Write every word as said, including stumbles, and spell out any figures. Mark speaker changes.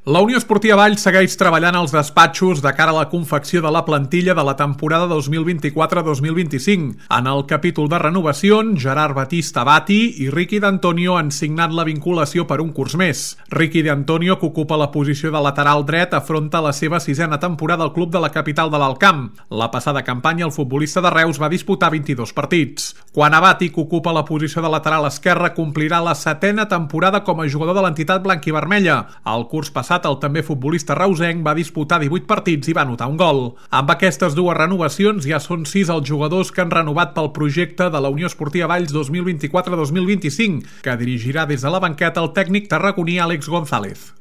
Speaker 1: La Unió Esportiva Valls segueix treballant als despatxos de cara a la confecció de la plantilla de la temporada dos mil vint-i-quatre dos mil vint-i-cinc. En el capítol de renovacions, Gerard Batista Bati i Ricky D'Antonio han signat la vinculació per un curs més. Ricky D'Antonio, que ocupa la posició de lateral dret, afronta la seva sisena temporada al club de la capital de l'Alt Camp. La passada campanya, el futbolista de Reus va disputar vint-i-dos partits. Quan a Bati, que ocupa la posició de lateral esquerre, complirà la setena temporada com a jugador de l'entitat blanquivermella. El curs passat, el també futbolista reusenc va disputar divuit partits i va anotar un gol. Amb aquestes dues renovacions ja són sis els jugadors que han renovat pel projecte de la Unió Esportiva Valls dos mil vint-i-quatre dos mil vint-i-cinc, que dirigirà des de la banqueta el tècnic tarragoní Àlex González.